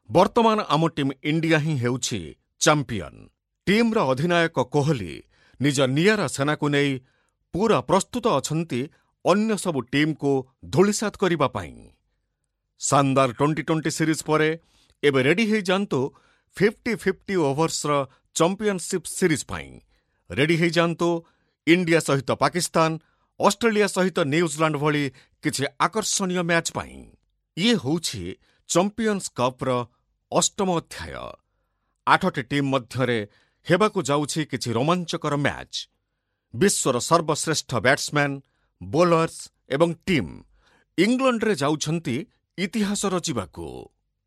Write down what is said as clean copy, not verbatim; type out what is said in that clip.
ବର୍ତ୍ତମାନ ଆମ team India ହିଁ ହେଉଛି ଚାମ୍ପିୟନ। ଟିମ୍ର ଅଧିନାୟକ କୋହଲି ନିଜ ନିଆରା ସେନାକୁ ନେଇ ପୁରା ପ୍ରସ୍ତୁତ ଅଛନ୍ତି ଅନ୍ୟ ସବୁ ଟିମ୍କୁ ଧୂଳିସାତ କରିବା ପାଇଁ। ଶାନଦାର 20-20 ସିରିଜ୍ ପରେ ଏବେ ରେଡି ହେଇଯାଆନ୍ତୁ 50-50 ଓଭର୍ସର ଚମ୍ପିୟନସିପ୍ ସିରିଜ୍ ପାଇଁ। ରେଡି ହେଇଯାଆନ୍ତୁ ଇଣ୍ଡିଆ ସହିତ ପାକିସ୍ତାନ, ଅଷ୍ଟ୍ରେଲିଆ ସହିତ ନ୍ୟୁଜିଲାଣ୍ଡ ଭଳି କିଛି ଆକର୍ଷଣୀୟ ମ୍ୟାଚ୍ ପାଇଁ। ଇଏ ହେଉଛି ଚମ୍ପିୟନ୍ସ କପ୍ର ଅଷ୍ଟମ ଅଧ୍ୟାୟ। ଆଠଟି ଟିମ୍ ମଧ୍ୟରେ ହେବାକୁ ଯାଉଛି କିଛି ରୋମାଞ୍ଚକର ମ୍ୟାଚ୍। ବିଶ୍ୱର ସର୍ବଶ୍ରେଷ୍ଠ ବ୍ୟାଟ୍ସମ୍ୟାନ୍, ବୋଲର୍ସ ଏବଂ ଟିମ୍ ଇଂଲଣ୍ଡରେ ଯାଉଛନ୍ତି ଇତିହାସ ରଚିବାକୁ।